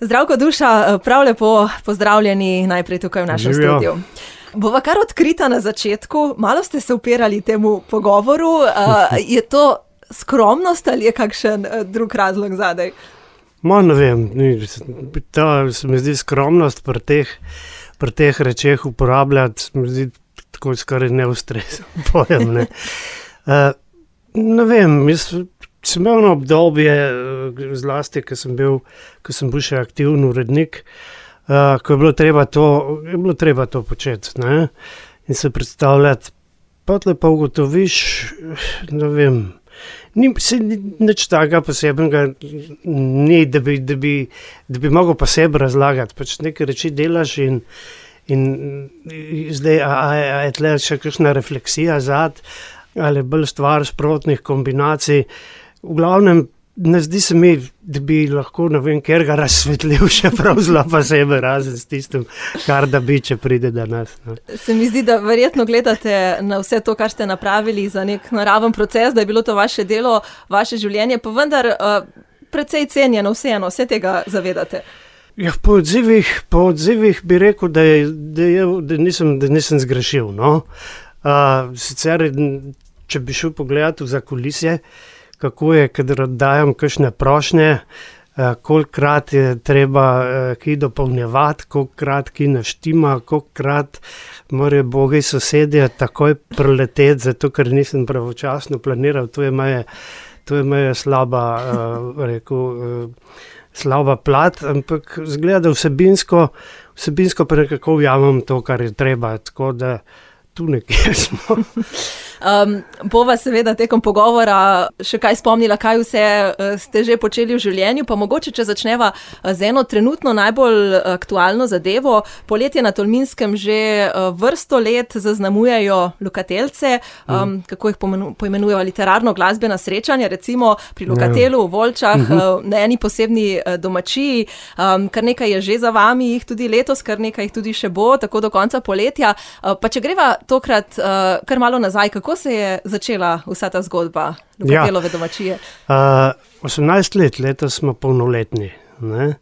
Zdravko, Duša, prav lepo pozdravljeni najprej tukaj v našem studiu. Bova kar odkrita na začetku, malo ste se upirali temu pogovoru, je to skromnost ali je kakšen drug razlog zadaj? Ne vem, ta se mi zdi skromnost pri teh rečeh uporabljati, se mi zdi tako skoraj neustrezen pojem, ne. Ne vem, sem imel eno obdobje, zlasti, ko sem bil še aktivni urednik, ko je bilo treba to početi, ne, in se predstavljati. Potlej pa ugotoviš, ne vem, nič takega posebnega ni, da bi mogel pa sebe razlagati, pač neke reči delaš in zdaj, a je tle še kakšna refleksija zad, ali bolj stvar sprotnih kombinacij. V glavnem, ne zdi se mi, da bi lahko, ne vem, kjer ga razsvetlil še prav zelo pa sebe, razen s tistim, kar da bi, če pride do nas. No. Se mi zdi, da verjetno gledate na vse to, kar ste napravili za nek naraven proces, da je bilo to vaše delo, vaše življenje, pa vendar precej cenjeno vseeno, vse tega zavedate. Ja, po odzivih bi rekel, da nisem zgrešil, no. Sicer, če bi šel pogledati v zakulisje, kako je, kadar oddajam kakšne prošnje, kolikokrat je treba kaj dopolnjevati, kolikokrat kaj naštima, kolikokrat morajo bogi sosedje takoj prileteti, zato ker nisem pravočasno planiral, to je moja slaba plat, ampak izgleda, da vsebinsko pa nekako ujamem to, kar je treba, tako da tu nekje smo. Bova seveda tekom pogovora še kaj spomnila, kaj vse ste že počeli v življenju, pa mogoče, če začneva z eno trenutno najbolj aktualno zadevo. Poletje na Tolminskem že vrsto let zaznamujejo Lokateljce, kako jih poimenujejo literarno-glasbena srečanja, recimo pri Lokatelu v Volčah, na eni posebni domačiji. Kar nekaj je že za vami, jih tudi letos, kar nekaj jih tudi še bo, tako do konca poletja. Pa če greva tokrat kar malo nazaj, kako se je začela vsa ta zgodba Lokatelove domačije? 18 let, letos smo polnoletni, ne.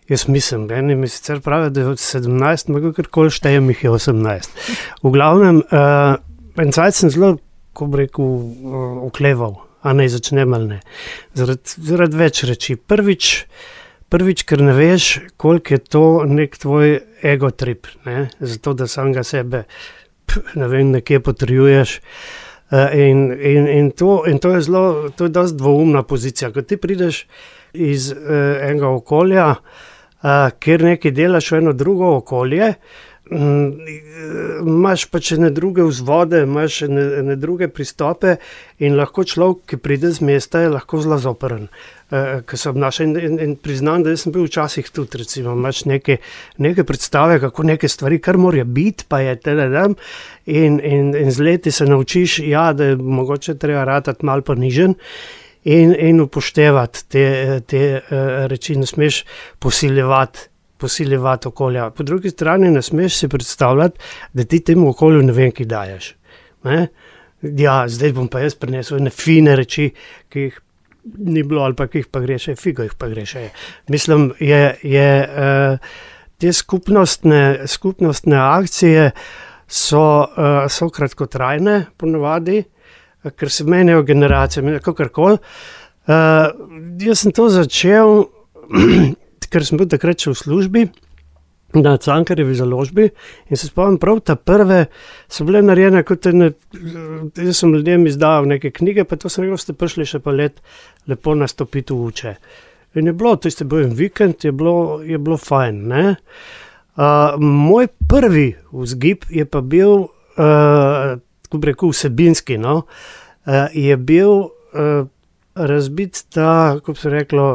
Jaz mislim, eni mi sicer pravijo, da je 17, ampak karkoli štejem, jih je 18. V glavnem, en cajt sem zelo, ko bi rekel, okleval, a naj začnem ali ne. Zaradi več reči. Prvič, ker ne veš, koliko je to nek tvoj ego trip, ne, zato da samega sebe, ne vem, nekje potrjuješ. In to je dosti dvoumna pozicija. Ko ti prideš iz enega okolja, kjer nekaj delaš v eno drugo okolje, imaš pač ene druge vzvode, imaš ene druge pristope in lahko človek, ki pride z mesta, je lahko zelo zoprn, ko se obnaša. In priznam, da sem bil včasih tudi, recimo, imaš neke predstave, kako neke stvari, kar morajo biti, pa je in z leti se naučiš, da je mogoče treba ratati malo ponižen in upoštevati te reči, ne smeš posiljevati okolja. Po drugi strani ne smeš si predstavljati, da ti temu okolju ne vem, kaj daješ. Ne? Ja, zdaj bom pa jaz prinesel ene fine reči, ki jih ni bilo ali pa ki jih pa greše, figo jih pa greše. Mislim, te skupnostne akcije so kratkotrajne ponavadi, ker se menjajo generacije, kakorkoli. Jaz sem to začel, ker sem bil takrat še v službi na Cankarjevi založbi in se spomnim prav, ta prve so bile narejene kot jaz sem ljudem izdal neke knjige, pa to sem rekel, ste prišli še pa lepo nastopiti v Uče. In je bilo, tisti bil en vikend, je bilo fajn, ne. Moj prvi vzgib je pa bil, tako bi rekel, vsebinski, no, je bil razbiti ta, kako bi se reklo,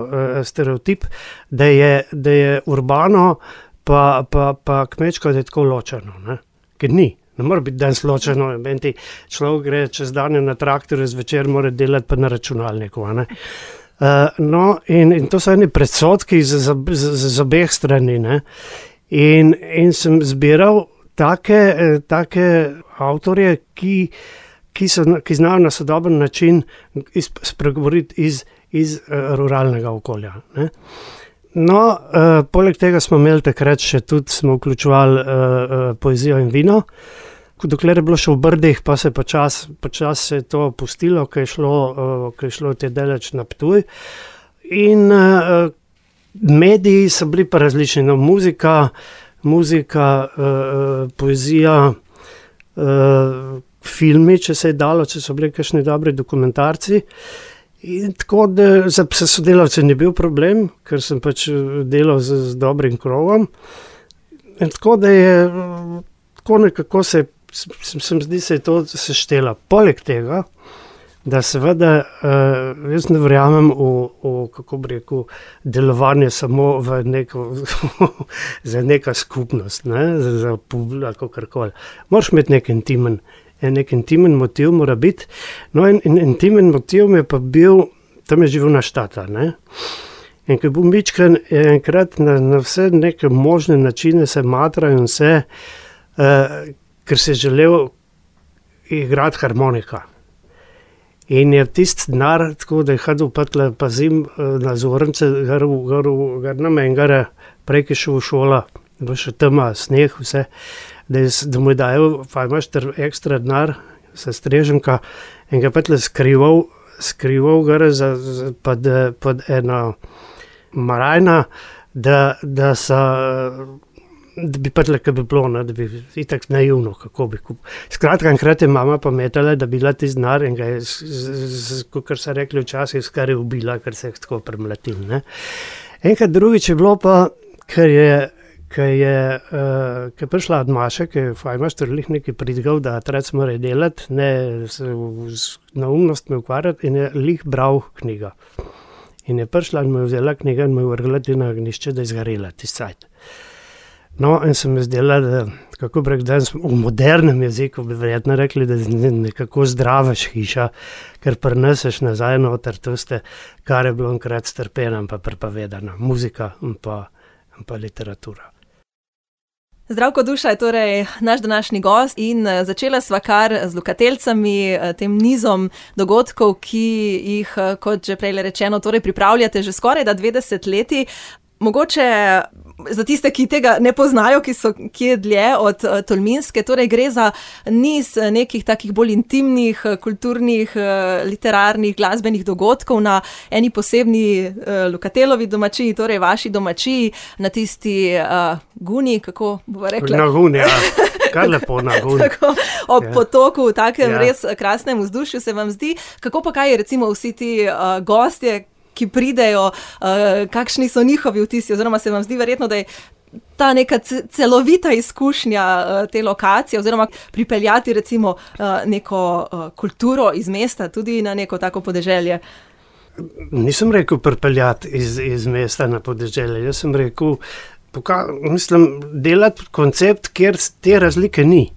stereotip, da je urbano pa kmečko, da je tako ločeno, ne. Ker ni, ne mora biti danes ločeno, človek gre čez dan na traktorju, zvečer mora delati pa na računalniku, ne. No, in to so eni predsodki z obeh strani, ne. In sem zbiral take avtorje, ki znajo na sodoben način spregovoriti iz ruralnega okolja, ne. No, poleg tega smo imeli takrat še tudi, smo vključevali poezijo in vino. Dokler je bilo še v Brdih, pa se počas se je to pustilo, ko je šlo te daleč na Ptuj. In mediji so bili pa različni, no, muzika, poezija, filmi, če se je dalo, če so bili kakšni dobri dokumentarci. In tako, da za sodelavce ni bil problem, ker sem pač delal z dobrim krogom. In tako, da je tako nekako se zdi, se je to seštela. Poleg tega, da seveda jaz ne verjamem v kako bi rekel, delovanje samo v neko za neka skupnost, ne, za publiko, kakorkoli. Moraš imeti nek intimen motiv mora biti. No, in intimen motiv mi je pa bil, tam je živel naš tata, ne. In ko je bil mičken, je enkrat na vse neke možne načine se matra in vse, ker se je želel igrati harmonika. In je tisti denar, tako da je hodil patle pazim na zornice, gar na mengare, prej, ki je šel v šola, bo še tema, sneh, vse, da mu je dajal, pa imaš ekstra denar, sestreženka, in ga patle skrival gre pod eno marajna, da bi patle, kaj bi bilo, ne, da bi itak naivno, kako bi kupil. Skratka, enkrat je mama pametala, da bi bila tisti denar in ga je, kakor so rekli včasih, skoraj ubila, ker se je tako premlatil, ne. Enkrat drugič je bilo pa, ker je prišla od Maše, ki je fajmašter lih nekaj pridigal, da otrec mora delati, ne se na umnost me ukvarjati, in je lih bral knjigo. In je prišla in me vzela knjiga in me vrgla na ognjišče, da je zgorela tisti cajt. No, in se mi zdela, da, kako bi rekel, danes v modernem jeziku bi verjetno rekli, da nekako zdravaš hiša, ker prineseš nazaj noter tiste, kar je bilo enkrat strpeno in pa prepovedano, muzika in pa literatura. Zdravko Duša je torej naš današnji gost in začela sva kar z Lokateljcami, tem nizom dogodkov, ki jih, kot že prej rečeno, torej pripravljate že skoraj 20 leti. Mogoče za tiste, ki tega ne poznajo, ki so kje dlje od Tolminske, torej gre za niz nekih takih bolj intimnih, kulturnih, literarnih, glasbenih dogodkov na eni posebni Lokatelovi domačiji, torej vaši domačiji, na tisti Guni, kako bova rekla? Na Guni, ja. Kar lepo na Guni. Tako, ob potoku, v takem res krasnem vzdušju se vam zdi. Kako pa kaj recimo vsi ti gostje, ki pridejo, kakšni so njihovi vtisi, oziroma se vam zdi verjetno, da je ta neka celovita izkušnja te lokacije, oziroma pripeljati recimo neko kulturo iz mesta tudi na neko tako podeželje? Nisem rekel pripeljati iz mesta na podeželje, jaz sem rekel, delati koncept, kjer te razlike ni,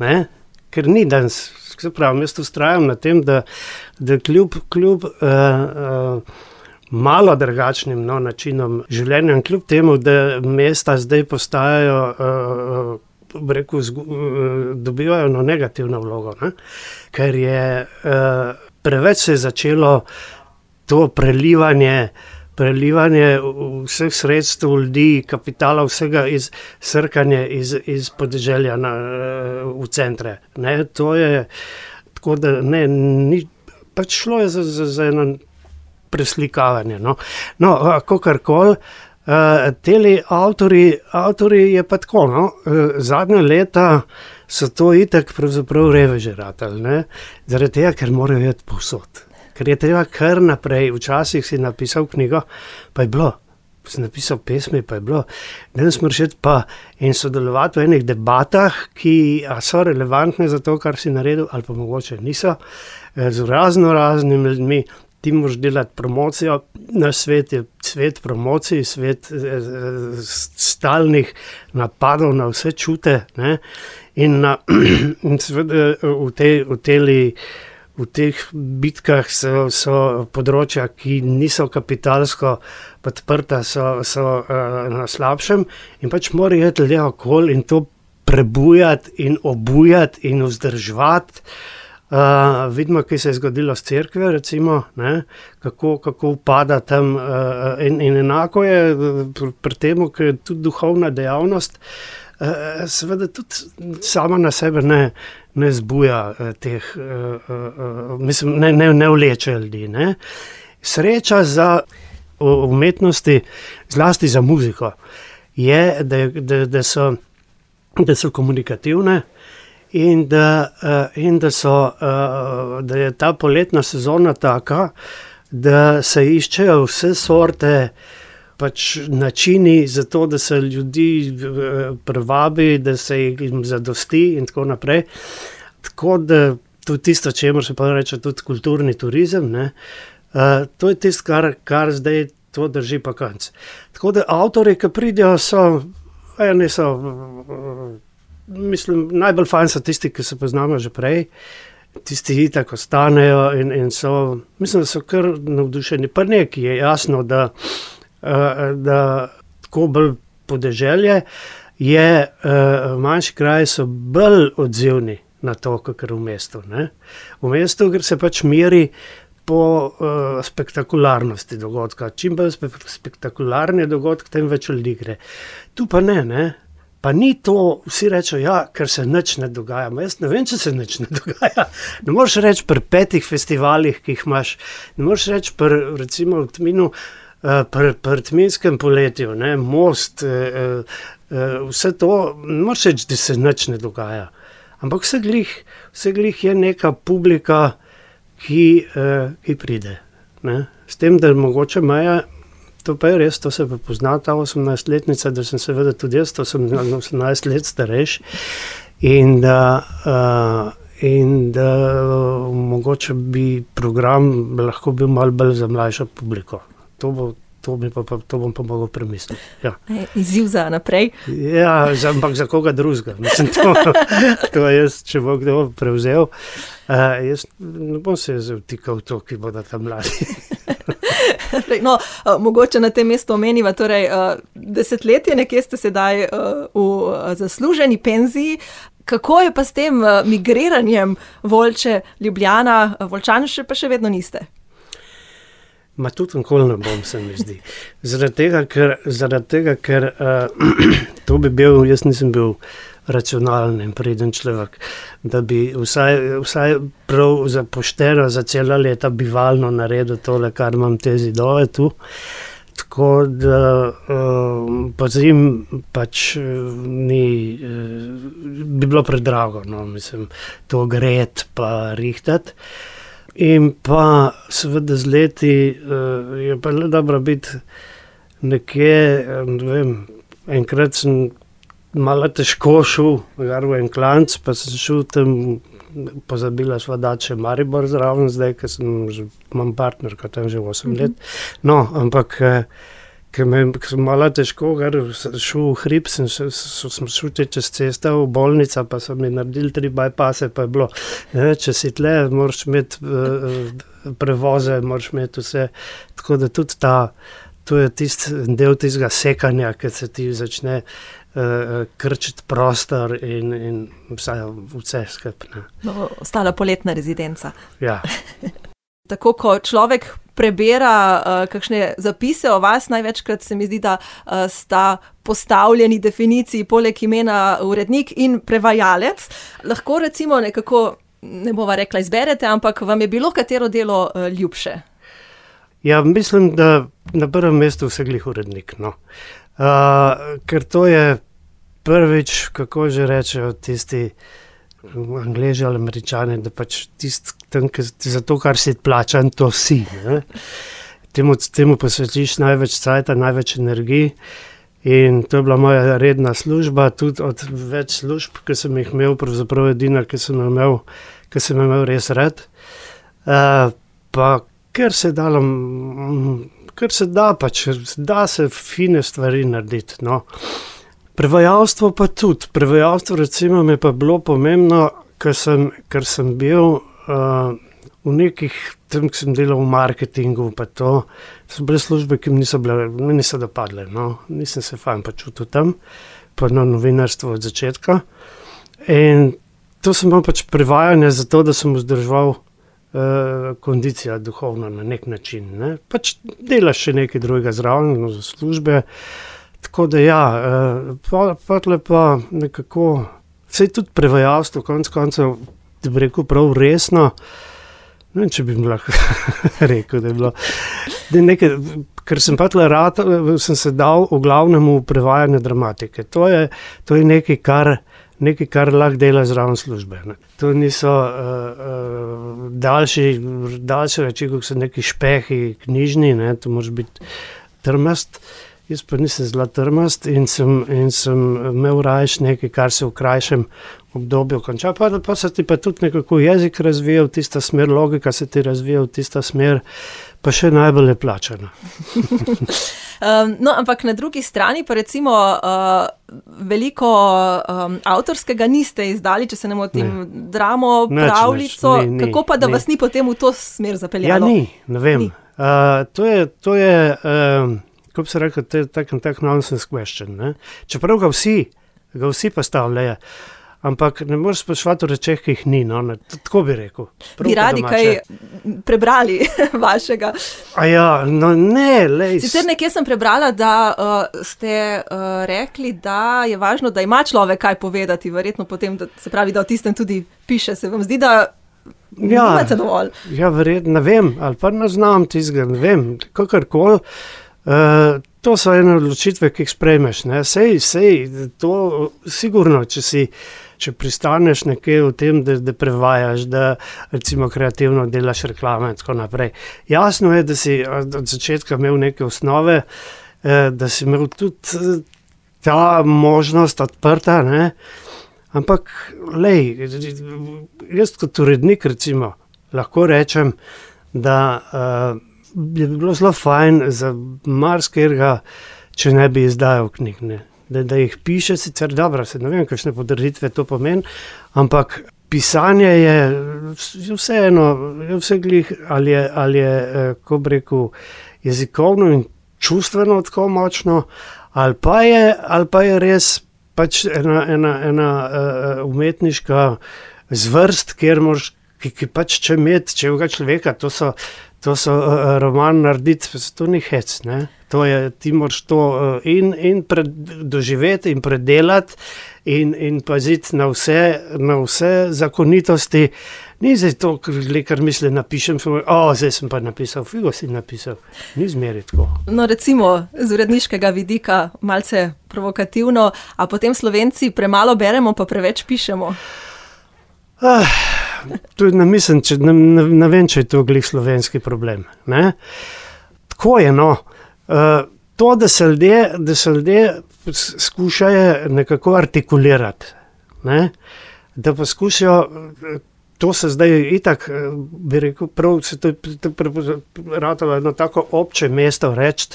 ne? Ker ni danes, se pravi, jaz vztrajam na tem, da kljub malo drugačnim načinom življenja, kljub temu, da mesta zdaj postajajo, dobivajo negativno vlogo, ne? Ker je preveč se je začelo to prelivanje vseh sredstev, ljudi, kapitala, vsega srkanje iz podeželja v centre. Ne? To je tako, da ni, pač šlo je za eno preslikavanje. No, kakorkoli, teli avtori je pa tako, zadnja leta so to itak pravzaprav reveži ratali, ne? Zaradi tega, ker morajo iti povsod. Ker je treba kar naprej, včasih si napisal knjigo, pa je bilo, si napisal pesmi, pa je bilo, danes moraš iti pa in sodelovati v enih debatah, ki so relevantne za to, kar si naredil, ali pa mogoče niso, z raznimi ljudmi. Ti moraš delati promocijo, naš svet je svet promocij, svet stalnih napadov na vse čute, ne? In seveda v teh bitkah so področja, ki niso kapitalsko podprta, so na slabšem in pač morajo iti ljudje okoli in to prebujati in obujati in vzdrževati. Vidimo, kaj se je zgodilo s cerkvijo, recimo, ne, kako upada tam. In enako je pri tem, ker je tudi duhovna dejavnost, seveda tudi sama na sebe ne zbuja teh, mislim, ne vleče ljudi. Ne. Sreča za umetnosti, zlasti za muziko, je, da so komunikativne in da je ta poletna sezona taka, da se iščejo vse sorte pač načini za to, da se ljudi privabi, da se jim zadosti in tako naprej. Tako da tudi tisto, čemur se pa reče tudi kulturni turizem, ne, to je tisto, kar zdaj to drži pa konc. Tako da avtorji, ki pridejo, mislim, najbolj fajn so tisti, ki se poznamo že prej, tisti itak ostanejo in so, mislim, da so kar navdušeni. Pa nekaj je jasno, da tako bolj podeželje je, manjši kraji so bolj odzivni na to, kakor v mestu. Ne? V mestu, ker se pač meri po spektakularnosti dogodka. Čim bolj spektakularni dogodek, tem več ljudi gre. Tu pa ne. Pa ni to, vsi rečejo, ja, ker se nič ne dogaja. Jaz ne vem, če se nič ne dogaja. Ne moreš reči pri 5 festivalih, ki jih imaš. Ne moreš reči recimo v Tminu, pri Tminskem poletju, ne, Most, vse to, ne moreš reči, da se nič ne dogaja. Ampak vse glih je neka publika, ki pride. Ne. S tem, da mogoče Maja, to pa je res, to se pa pozna, ta 18-letnica, da sem seveda tudi jaz, to sem 18 let starejši in da mogoče bi program lahko bil malo bolj za mlajšo publiko. To bom pa mogel premisliti. Ja. Izziv za naprej. Ja, ampak za koga drugega. Mislim, to jaz, če bo kdo prevzel, jaz ne bom se vtikal v to, ki bodo tam mladi. No, mogoče na tem mestu omeniva, torej 10 nekje ste sedaj v zasluženi penziji. Kako je pa s tem migriranjem Volče, Ljubljana, Volčani pa še vedno niste? Ma tudi nikoli ne bom, se mi zdi. Zaradi tega, ker to bi bil, jaz nisem bil racionalen in preden človek, da bi vsaj prav za pošteno, za cela leta bivalno naredil tole, kar imam te zidove tu. Tako da pazim, pač bi bilo predrago, no, mislim, to gret pa rihtati. In pa seveda z leti je pa le dobro biti nekje, ne vem, enkrat sem malo težko šel v en klanc, pa sem šel tam, pozabila sva dati še Maribor zraven zdaj, ker imam partnerko tam že 8 let. No, ampak ker sem malo težko šel v hrib, sem šel čez cesto v bolnica, pa so mi naredili 3 bypasse, pa je bilo, če si tle, moraš imeti prevoze, moraš imeti vse, tako da tudi to je del tistega sekanja, ki se ti začne krčiti prostor in vse skupaj. No, ostala poletna rezidenca. Ja. Tako, ko človek prebera kakšne zapise o vas, največkrat se mi zdi, da sta postavljeni definiciji poleg imena urednik in prevajalec. Lahko recimo nekako, ne bova rekla izberete, ampak vam je bilo katero delo ljubše? Ja, mislim, da na prvem mestu vse glih urednik, no. Ker to je prvič, kako že rečejo tisti Angleži ali Američani, da pač za to, kar si plačan, to si. Ne? Temu posvetiš največ cajta, največ energij in to je bila moja redna služba, tudi od več služb, ki sem jih imel, pravzaprav edina, ki sem imel res rad. Pa ker se da pač, da se fine stvari narediti, no. Prevajalstvo pa tudi. Prevajalstvo recimo mi pa bilo pomembno, ker sem bil v nekih, tam sem delal v marketingu, pa to so bile službe, ki mi niso dopadle, no. Nisem se fajn počutil tam, pa na novinarstvu od začetka. In to sem imel pač prevajanje zato, da sem vzdrževal kondicija duhovno na nek način. Ne? Pač delaš še nekaj drugega zraven, za službe. Tako da ja, pa nekako, vse tudi prevajalstvo, konec koncev, da bi rekel prav resno, ne vem, če bi mi lahko rekel, da je bilo, ker sem pa sem se dal v glavnem v prevajanje dramatike. To je nekaj, kar lahko dela zraven službe. Ne. To niso daljše reči, kot so neki špehi knjižni, ne. To moraš biti trmast. Jaz pa nisem zelo trmast in sem imel rajš nekaj, kar se v krajšem obdobju konča. Pa se ti pa tudi nekako jezik razvija v tista smer, logika se ti razvija v tista smer, pa še najbolj je plačana. No, ampak na drugi strani pa recimo veliko avtorskega niste izdali, če se ne motim, dramo, pravljico, kako pa da vas ni potem v to smer zapeljalo? Ja, ne vem. To je kako bi se rekel, tak nonsense question. Ne? Čeprav ga vsi postavljajo, ampak ne moreš spraševati o rečeh, ki jih ni. No? Tako bi rekel. Bi radi kaj prebrali vašega? Sicer nekje sem prebrala, da ste rekli, da je važno, da ima človek kaj povedati, verjetno potem, da se pravi, da o tistem tudi piše. Se vam zdi, da nimate dovolj? Ja, verjetno, ne vem, ali pa ne znam tistega, ne vem, kakorkoli. To so ene odločitve, ki jih sprejmeš. Ne? Sej, to sigurno, če pristaneš nekje v tem, da prevajaš, da recimo kreativno delaš reklame in tako naprej. Jasno je, da si od začetka imel neke osnove, da si imel tudi ta možnost odprta, ne? Ampak jaz kot urednik recimo lahko rečem, da bi bilo zelo fajn za marsikatera, če ne bi izdajal knjig. Ne. Da jih piše, sicer dobro, ne vem, kakšne podaritve to pomeni, ampak pisanje je vseeno, ali je, kako bi rekel, jezikovno in čustveno tako močno, ali pa je res pač ena umetniška zvrst, kjer moraš, ki pač če imeti čevega človeka, to so roman narediti, to ni hec, ne? To je, ti moraš to in doživeti in predelati in paziti na vse zakonitosti. Ni zdaj to, kar misli, napišem, zdaj sem pa napisal, figo si napisal. Ni zmeri tako. No, recimo, z uredniškega vidika, malce provokativno, a potem Slovenci premalo beremo, pa preveč pišemo? To ne mislim, ne vem, če je to glih slovenski problem. Ne? Tako je, no. To, da se ljudje skušajo nekako artikulirati, ne? Da poskušajo, to se zdaj itak, bi rekel, prav se to ratalo jedno tako obče mesto reči,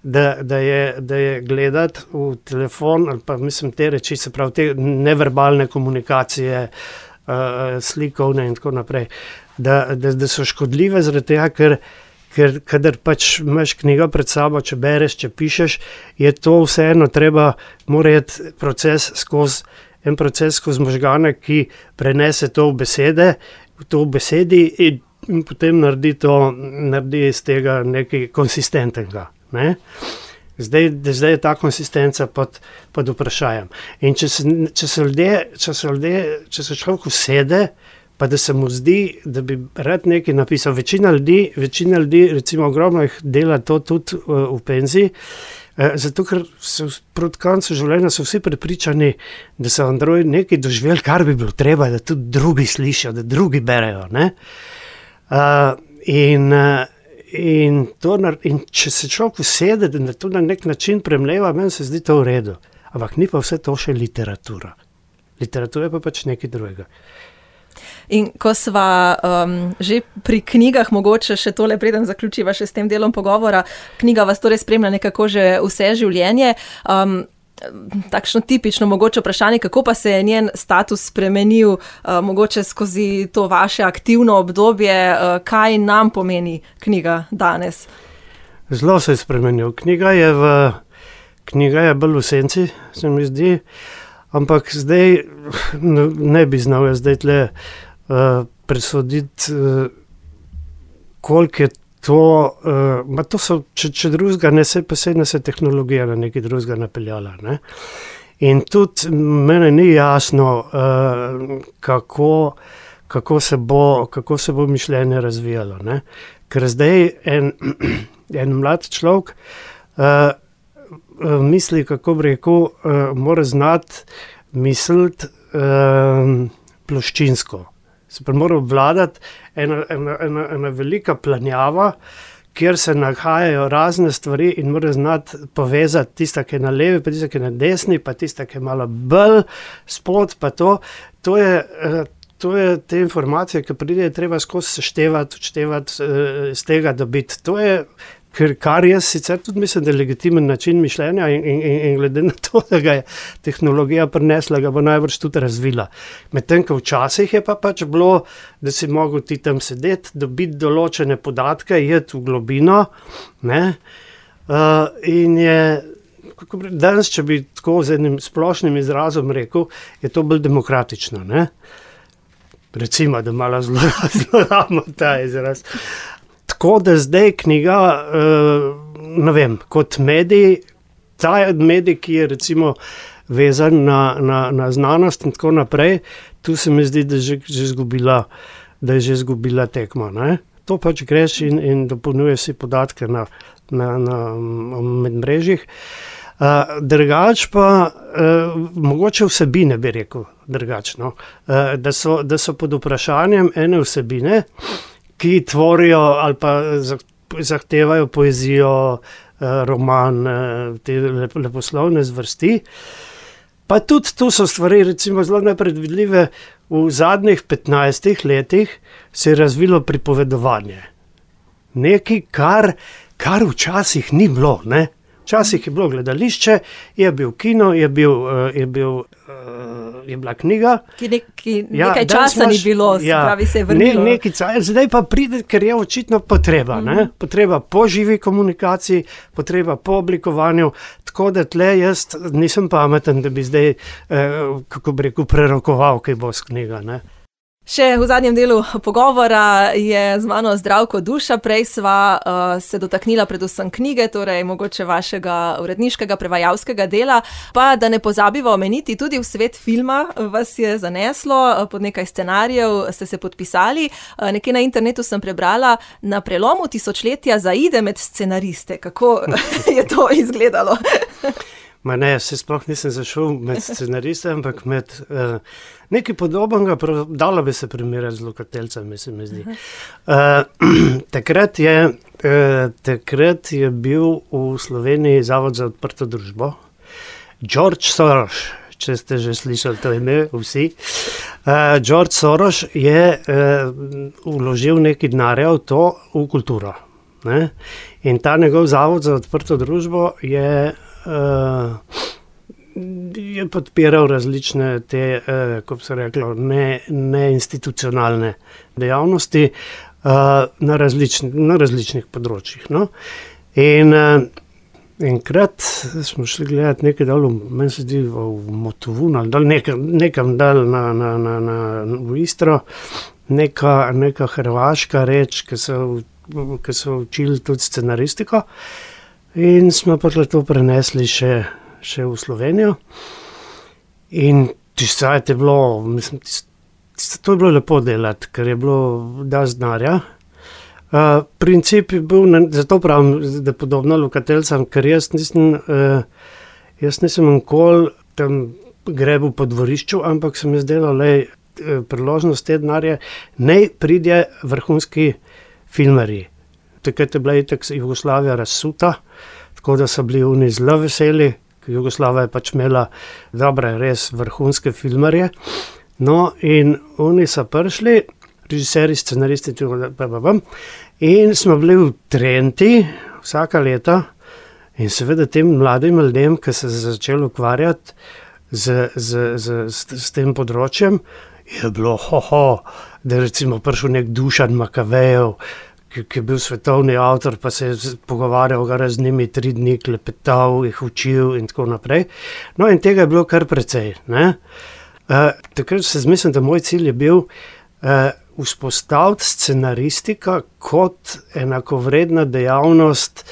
da je gledati v telefon, ali pa mislim te reči, se pravi te neverbalne komunikacije, slikovne in tako naprej, da so škodljive zaradi tega, ker kadar pač imaš knjigo pred sabo, če bereš, če pišeš, je to vseeno mora iti proces skozi možgane, ki prenese to v besedi in potem naredi iz tega nekaj konsistentnega. Ne? Zdaj je ta konsistenca pod vprašanjem. In če se človek usede, pa da se mu zdi, da bi rad nekaj napisal. Večina ljudi, recimo ogromno jih dela to tudi v penziji, zato ker proti koncu življenja so vsi prepričani, da so androidi nekaj doživeli, kar bi bilo treba, da tudi drugi slišijo, da drugi berejo. Ne? In če se človek usede, da to na nek način premleva, meni se zdi to v redu. Ampak ni pa vse to še literatura. Literatura je pa pač nekaj drugega. In ko sva že pri knjigah, mogoče še tole, preden zaključiva še s tem delom pogovora, knjiga vas torej spremlja nekako že vse življenje. Takšno tipično mogoče vprašanje, kako pa se je njen status spremenil mogoče skozi to vaše aktivno obdobje, kaj nam pomeni knjiga danes? Zelo se je spremenil. Knjiga je bolj v senci, se mi zdi, ampak zdaj ne bi znal jaz zdaj tle presoditi, koliko je to, to so, če drugega ne se, pa se tehnologija na nekaj drugega napeljala, ne. In tudi mene ni jasno, kako se bo mišljenje razvijalo, ne. Ker zdaj en mlad človek misli, kako bi rekel, mora znati misliti ploščinsko. Se pa mora obvladati ena velika planjava, kjer se nahajajo razne stvari in mora znati povezati tista, ki je na levi, pa tista, ki je na desni, pa tista, ki je malo bolj spod, pa to. To je te informacije, ki pridejo, treba skozi seštevati, odštevati, iz tega dobiti. To je, kar jaz sicer tudi mislim, da je legitimen način mišljenja in glede na to, da ga je tehnologija prinesla, ga bo najbrž tudi razvila. Medtem, ko včasih je pa pač bilo, da si mogel ti tam sedeti, dobiti določene podatke, iti v globino, ne, in je, danes, če bi tako z enim splošnim izrazom rekel, je to bolj demokratično, ne. Recimo, da malo zlorabimo ta izraz. Tako da zdaj knjiga, ne vem, kot medij, ta medij, ki je recimo vezan na znanost in tako naprej, tu se mi zdi, da je že izgubila tekmo, ne. To pač greš in dopolnjuješ si podatke na medmrežjih. Drugač pa, mogoče vsebine bi rekel drugačno, da so pod vprašanjem ene vsebine, ki tvorijo ali pa zahtevajo poezijo, roman, te leposlovne zvrsti. Pa tudi tu so stvari recimo zelo nepredvidljive. V zadnjih 15 letih se je razvilo pripovedovanje. Nekaj, kar včasih ni bilo, ne. Včasih je bilo gledališče, je bil kino, je bila knjiga. Nekaj časa ni bilo, pravi se je vrnilo. Zdaj pa pride, ker je očitno potreba, ne? Potreba po živi komunikaciji, potreba po oblikovanju, tako da tle jaz nisem pameten, da bi zdaj, kako bi rekel, prerokoval, kaj bo s knjiga, ne. Še v zadnjem delu pogovora je z mano Zdravko Duša, prej sva se dotaknila predvsem knjige, torej mogoče vašega uredniškega prevajalskega dela, pa da ne pozabiva omeniti, tudi v svet filma vas je zaneslo, pod nekaj scenarijev ste se podpisali, nekje na internetu sem prebrala, na prelomu tisočletja zaide med scenariste, kako je to izgledalo? Ma ne, se sploh nisem zašel med scenariste, ampak med nekaj podobnega, dalo bi se primerjati z Lokateljcem, se mi zdi. Takrat je bil v Sloveniji Zavod za odprto družbo. George Soros, če ste že slišali to ime, vsi. George Soros je vložil nekaj denarja v to, v kulturo, ne? In ta njegov Zavod za odprto družbo je podpiral različne te, kako bi se reklo, neinstitucionalne dejavnosti na različnih področjih, no. In enkrat smo šli gledati nekaj dol, meni se zdi v Motovun ali nekam dal v Istro, neka hrvaška reč, ki so učili tudi scenaristiko. In smo pa to prenesli še v Slovenijo. In je bilo, mislim, to je bilo lepo delati, ker je bilo dosti denarja. Princip je bil, zato pravim, da podobno Lokateljcem, ker jaz nisem nikoli tam grebil po dvorišču, ampak se mi zdelo, priložnost te denarje, naj pride vrhunski filmarji. Takrat je bila itak Jugoslavija razsuta, tako da so bili oni zelo veseli, ker Jugoslavija je pač imela dobre, res vrhunske filmarje. No, in oni so prišli, režiserji, scenaristi, in smo bili v Trenti vsaka leta in seveda tem mladim ljudem, ki so se začeli ukvarjati s tem področjem, je bilo da je recimo prišel nek Dušan Makavejev, ki je bil svetovni avtor, pa se je pogovarjal z njimi 3 dni, klepetal, jih učil in tako naprej. No, in tega je bilo kar precej, ne. Takrat se mislim, da moj cilj je bil vzpostaviti scenaristika kot enakovredna dejavnost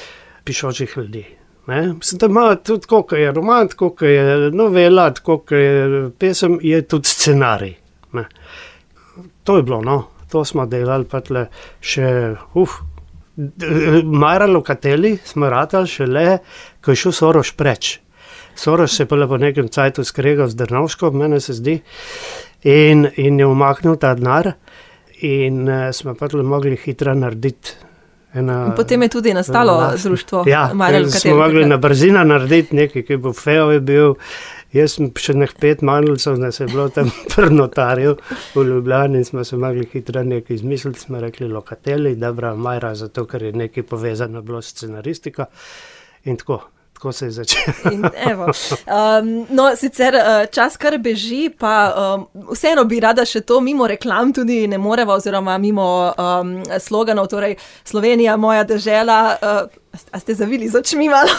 pišočih ljudi. Ne? Mislim, da ima tudi, koliko je roman, koliko je novela, koliko je pesem, je tudi scenarij. Ne? To je bilo, no. To smo delali pa tle še, Majra Lokateli smo ratali šele, ko je šel Soros preč. Soros se je pa po nekem cajtu skregal z Drnovško, mene se zdi, in je umaknil ta denar in smo pa tle mogli hitro narediti. Potem je tudi nastalo društvo Majra Lokateli. Smo mogli na brzino narediti nekaj, ki bo Feo je bil. Jaz sem še 5 manjlcev, da se je bilo tam pri notarju v Ljubljani in smo se mogli hitro nekaj izmisliti, smo rekli Lokateli, dobra Majra, zato ker je nekaj povezano bilo s scenaristika in tako se je začelo. No, sicer čas kar beži, pa vseeno bi rada še to mimo reklam tudi ne moreva, oziroma mimo sloganov, torej Slovenija, moja dežela, a ste zavili z očmi malo?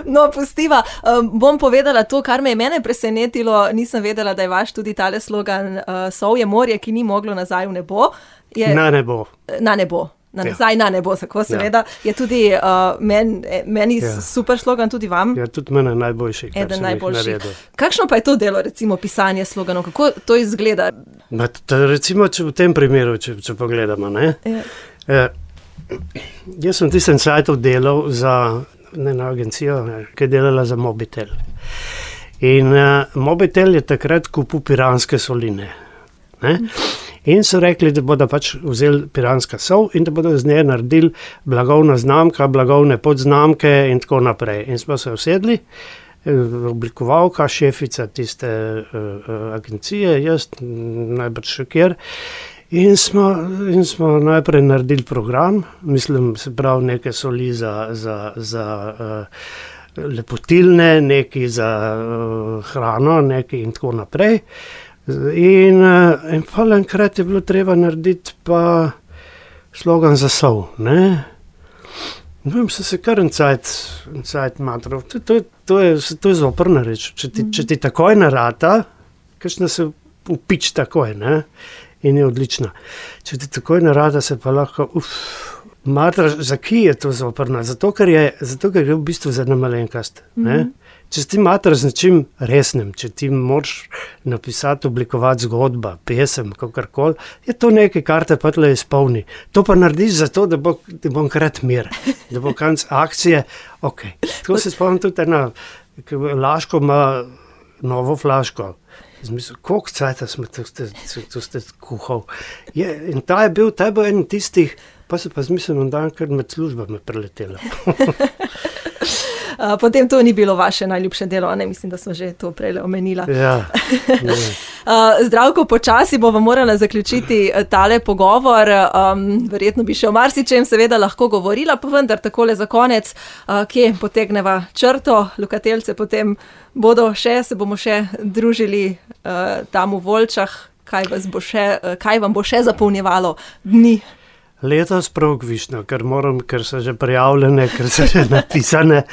No, pustiva. Bom povedala to, kar me je mene presenetilo, nisem vedela, da je vaš tudi tale slogan Sovje morje, ki ni moglo nazaj v nebo. Na nebo. Na nebo. Nazaj na nebo, tako seveda. Je tudi meni super slogan, tudi vam. Ja, tudi mene najboljši, kar sem jih naredil. Kakšno pa je to delo, recimo, pisanje sloganov? Kako to izgleda? Recimo, v tem primeru, če pogledamo, ne? Jaz sem tistem cajtu delal za eno agencijo, ki je delala za Mobitel. In Mobitel je takrat kupil piranske soline. Ne? In so rekli, da bodo pač vzeli piranska sol in da bodo z nje naredili blagovna znamka, blagovne podznamke in tako naprej. In smo se usedli, oblikovalka, šefica tiste agencije, jaz najbrž še kjer. In smo najprej naredili program, mislim, se pravi neke soli za lepotilne, neki za hrano, neki in tako naprej. In pa enkrat je bilo treba narediti pa slogan za sol, ne. No, sem se kar en cajt matral. To je zoprna reč. Če ti takoj narata, kakšna se upič takoj, ne. In je odlična. Če ti takoj narada, se pa lahko, matraš, za ki je to zoprna? Zato, ker je v bistvu za ena malenkast. Če ti matraš z nečim resnim, če ti moraš napisati, oblikovati zgodba, pesem, kakorkoli, je to nekaj, kar te pa tle izpolni. To pa narediš zato, da bo enkrat mir, da bo konec akcije, okej. Tako se spomnim tudi ena, Laško ima novo flaško. Zmisel, koliko cajta smo to ste kuhal. In ta je bil en tistih, pa se pa zmislil, dan, ker med službami preletela. Potem to ni bilo vaše najljubše delo, ne? Mislim, da smo že to prej omenila. Ja. Zdravko, počasi bova morala zaključiti tale pogovor. Verjetno bi še o marsičem seveda lahko govorila, pa vendar takole za konec, kje potegneva črto, Lokateljce potem se bomo še družili tam v Volčah, kaj vam bo še zapolnjevalo dni? Letos prav kvišno, ker so že prijavljene, ker so že napisane.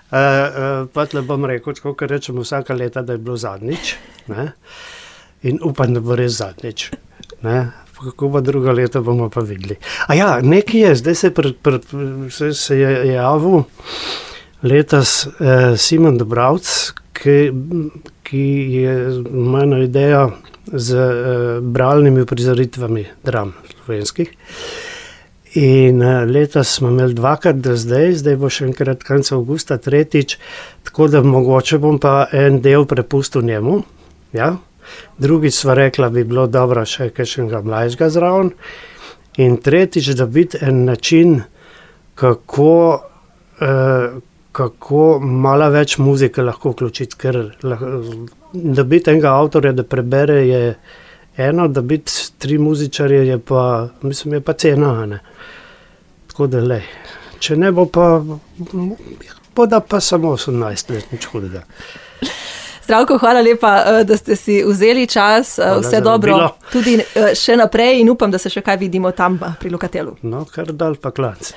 Pa tle bom rekel, tako kar rečemo vsaka leta, da je bilo zadnjič. Ne? In upam, da bo res zadnjič. Ne? Kako bo druga leta, bomo pa videli. Nekaj je, zdaj se je javil letos Simon Dobravc, ki je imel idejo z bralnimi uprizoritvami dram slovenskih. In letos smo imeli 2krat do zdaj bo še enkrat konec avgusta, 3., tako da mogoče bom pa en del prepustil njemu. Ja? Drugič sva rekla, bi bilo dobro še kakšnega mlajšega zraven. In tretjič, da biti en način, kako malo več muzike lahko vključiti, ker da biti enega avtorja, da prebere, je eno, da biti 3 muzičarje je pa cena, ne. Tako da lej. Če ne bo pa, bo da pa samo 18 let, nič hudega. Zdravko, hvala lepa, da ste si vzeli čas. Vse dobro tudi še naprej in upam, da se še kaj vidimo tam pri Lokatelu. No, kar dal pa klanc.